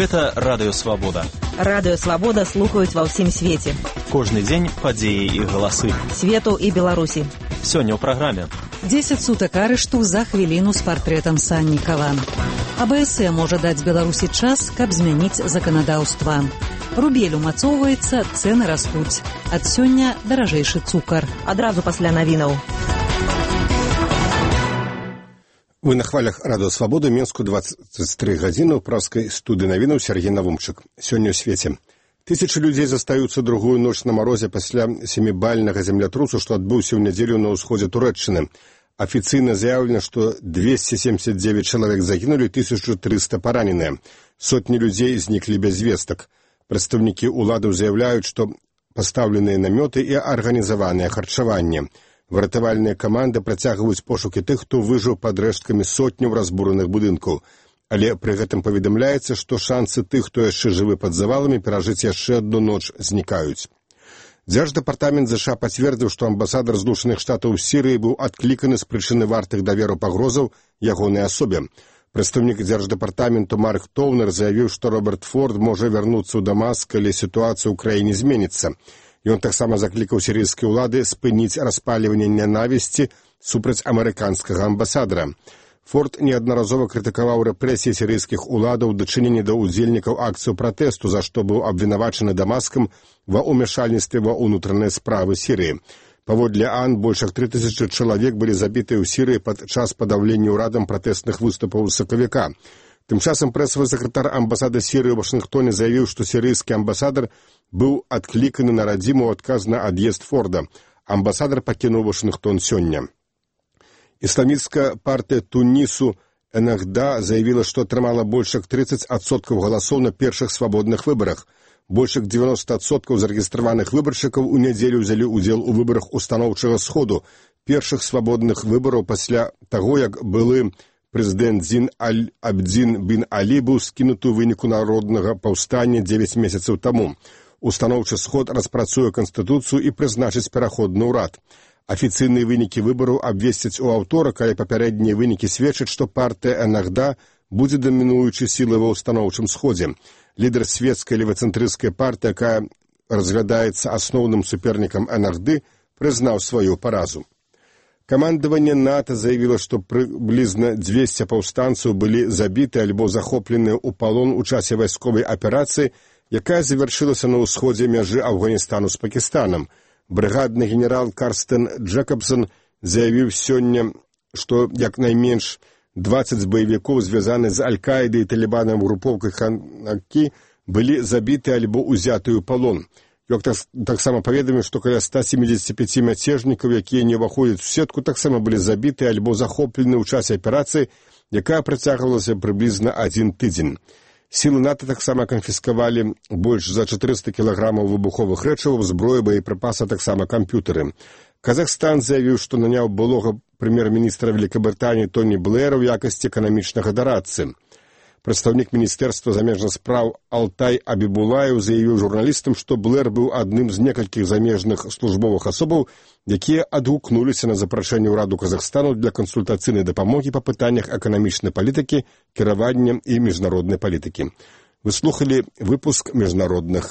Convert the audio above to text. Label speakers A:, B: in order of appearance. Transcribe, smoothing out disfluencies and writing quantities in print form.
A: Гэта Радыё Свабода.
B: Радыё Свабода слухаюць ва ўсім свеце.
A: Кожны дзень падзеі і галасы.
B: Свету і Беларусі.
A: Сёння ў праграме.
C: 10 сутак арышту за хвіліну з партрэтам Саннікава. АБС можа даць Беларусі час, каб змяніць заканадаўства. Рубель умацоўваецца, цэны растуць. Ад сёння даражэйшы цукар.
B: Адразу пасля навінаў.
D: Вы на хвалях Радыё Свабода, Мінску 23 гадзіны ў праскай студыі навінаў Сергей Навумчык. Сёння ў свеце. Тысячы людзей застаюцца другую ноч на марозе пасля 7-бальнага землятрусу, што адбыўся ў нядзелю на ўсходзе Турэччыны. Афіцыйна заявлена, што 279 чалавек загінулі, 1300 параненыя. Сотні людзей зніклі без вестак. Прадстаўнікі ўладаў заяўляюць, што пастаўленыя намёты і арганізаванае харчаванне. Выратавальныя каманды працягваюць пошукі тых, хто выжыў пад рэшткамі сотняў разбураных будынкаў. Але пры гэтым паведамляецца, што шансы тых, хто яшчэ жывы пад заваламі, перажыць яшчэ адну ноч знікаюць. Дзярждэпартамент ЗША пацвердзіў, што амбасадар Злучаных Штатаў у Сірыі быў адкліканы з прычыны вартых даверу пагрозаў ягонай асобе. Прадстаўнік дзярждэпартаменту Марк Тоўнер заявіў, што Роберт Форд можа вярнуцца ў Дамаск, калі сітуацыя ў краіне зменіцца. Ён таксама заклікаў сірыйскія ўлады спыніць распальванне нянавісці супраць амерыканскага амбасадара. Форд неаднаразова крытыкаваў рэпрэсіі сірыйскіх уладаў у дачыненні да ўдзельнікаў акцыю пратэсту, за што быў абвінавачаны Дамаскам ва ўмяшальніцтве ва ўнутраныя справы Сірыі. Паводле АН, больш як 3000 чалавек былі забітыя ў Сірыі падчас падаўлення ўрадам пратэсных выступаў сакавіка. Тым часам прэсавы сакратар амбасады Сірыі ў Вашынгтоне заявіў, што сірыйскі амбасадар быў адкліканы на радзіму ў адказ на ад'езд Форда. Амбасадар пакінуў Вашынгтон сёння. Ісламісцкая партыя Тунісу ЭННХДА заявіла, што атрымала больш як 30% галасоў на першых свабодных выбарах. Больш як 90% зарэгістраваных выбаршчыкаў у нядзелю ўзялі ўдзел у выбарах устаноўчага сходу, першых свабодных выбараў пасля таго, як былы прэзідэнт Зін Аль-Абдзін бін Алі быў скінуты ў выніку народнага паўстання 9 месяцаў таму. Устаноўчы сход распрацуе канстытуцыю і прызначыць пераходны ўрад. Афіцыйныя вынікі выбараў абвесцяць у аўторак, але папярэднія вынікі сведчаць, што партыя ЭННХДА будзе дамінуючай сілай ва ўстаноўчым сходзе. Лідар светскай левацэнтрысцкай партыі, якая разглядаецца асноўным супернікам ЭННХД, прызнаў сваю паразу. Камандаванне НАТО заявіла, што прыблізна 200 паўстанцаў былі забіты альбо захопленыя ў палон у часе вайсковай аперацыі, якая завяршылася на ўсходзе мяжы Афганістану з Пакістанам. Брыгадны генерал Карстен Джэкабсон заявіў сёння, што як найменш 20 баевікоў, звязаны з Аль-Каідай і талібанам групоўкай Ханакі, былі забіты альбо ўзяты ў палон. Ён таксама паведаміў, што каля 175 мяцежнікаў, якія не ўваходзяць у сетку, таксама былі забіты альбо захоплены ў часе аперацыі, якая працягвалася прыблізна 1 тыдзень. Сілы НАТО таксама канфіскавалі больш за 400 кілаграмаў выбуховых рэчываў, зброі, боепрыпасы, таксама камп'ютары. Казахстан заявіў, што наняў былога прэм'ер-міністра Вялікабрытаніі Тоні Блэра ў якасці эканамічнага дарадцы. Прадстаўнік Міністэрства замежных спраў Алтай Абібулаев заявіў журналістам, што Блэр быў адным з некалькіх замежных службовых асобаў, якія адгукнуліся на запрашэнне ўраду Казахстану для кансультацыйнай дапамогі па пытаннях эканамічнай палітыкі, кіравання і міжнароднай палітыкі. Вы слухалі выпуск міжнародных